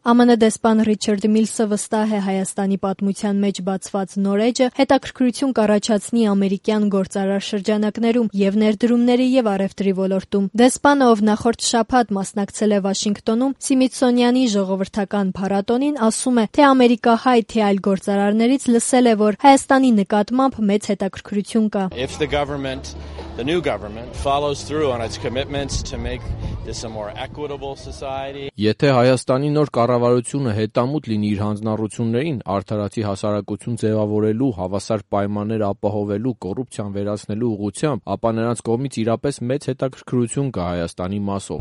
ԱՄՆ դեսպան Ռիչարդ Միլսը վստահ է Հայաստանի պատմության մեջ բացված նոր էջը հետաքրքրություն կառաջացնի ամերիկյան գործարար շրջանակներում եւ ներդրումների եւ առևտրի ոլորտում։ Դեսպանը, ով նախորդ շաբաթ մասնակցել է Վաշինգտոնում Սիմիթսոնյանի ժողովրդական փառատոնին, ասում է, թե ամերիկահայ, թե այլ գործարարներից լսել է, որ Հայաստանի նկատմամբ մեծ հետաքրքրություն կա։ The new government follows through on its commitments to make this a more equitable society. Եթե Հայաստանի նոր կառավարությունը հետամուտ լինի իր հանձնառություններին, արդարացի հասարակություն ձևավորելու, հավասար պայմաններ ապահովելու, կոռուպցիան վերացնելու ուղղությամբ, ապա նրանց կողմից իրապես մեծ հետաքրքրություն կա Հայաստանի մասով։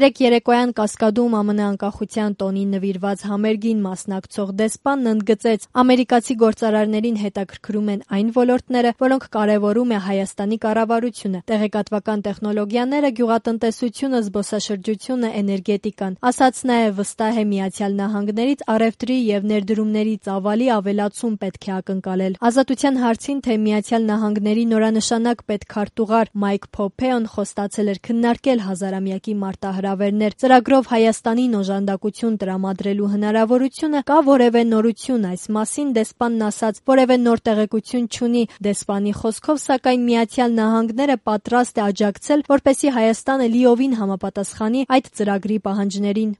Երեկ երեկոյան Կասկադում ԱՄՆ անկախության տոնին նվիրված համերգին մասնակցող դեսպանն ընդգծեց, ամերիկացի գործարարներին հետաքրքրում են այն ոլորտները, որոնք կարևորում է Հայաստանի կառավարությունը, տեղեկատվական տեխնոլոգիաները, գյուղատնտեսությունը, զբոսաշրջությունը, էներգետիկան։ Ասաց նաև վստահ է Միացյալ Նահանգներից առևտրի եւ ներդրումների ծավալի ավելացում պետք է ակնկալել։ Ազատության հարցին, թե Միացյալ Նահանգների նորանշանակ պետքարտուղար Մայք Փոմպեոն խոստացել էր քննարկել հազարամյակի մարտահրավերներ, ծրագրով Հայաստանին օժանդակություն տրամադրելու հնարավորությունը, կա որևէ նորություն այս մասին, դեսպանն ասաց, որևէ նոր տեղեկություն չունի։ Դեսպանի խոսքով, սակայն Միացյալ Նահանգները պատրաստ է աջակցել, որպեսզի Հայաստանը լիովին համապատասխանի այդ ծրագրի պահանջներին։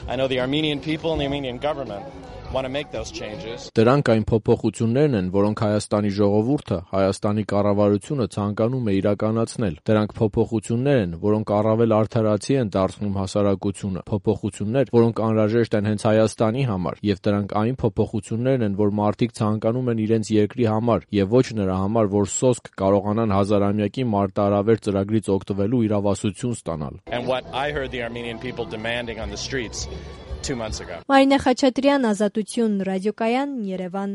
Դրանք այն փոփոխություններն են, որոնք Հայաստանի ժողովուրդը, Հայաստանի կառավարությունը ցանկանում է իրականացնել։ Դրանք փոփոխություններ են, որոնք առավել արդարացի են դարձնում հասարակությունը, փոփոխություններ, որոնք անհրաժեշտ են հենց Հայաստանի համար, եւ դրանք այն փոփոխություններն են, որ մարդիկ ցանկանում են իրենց երկրի համար եւ ոչ նրա համար, որ սոսկ կարողանան հազարամյակի մարտահրավեր ծրագրից օգտվելու իրավասություն ստանալ։ Մարինե Խաչատրյան, Ազատություն, Ռադիոկայան, Երևան։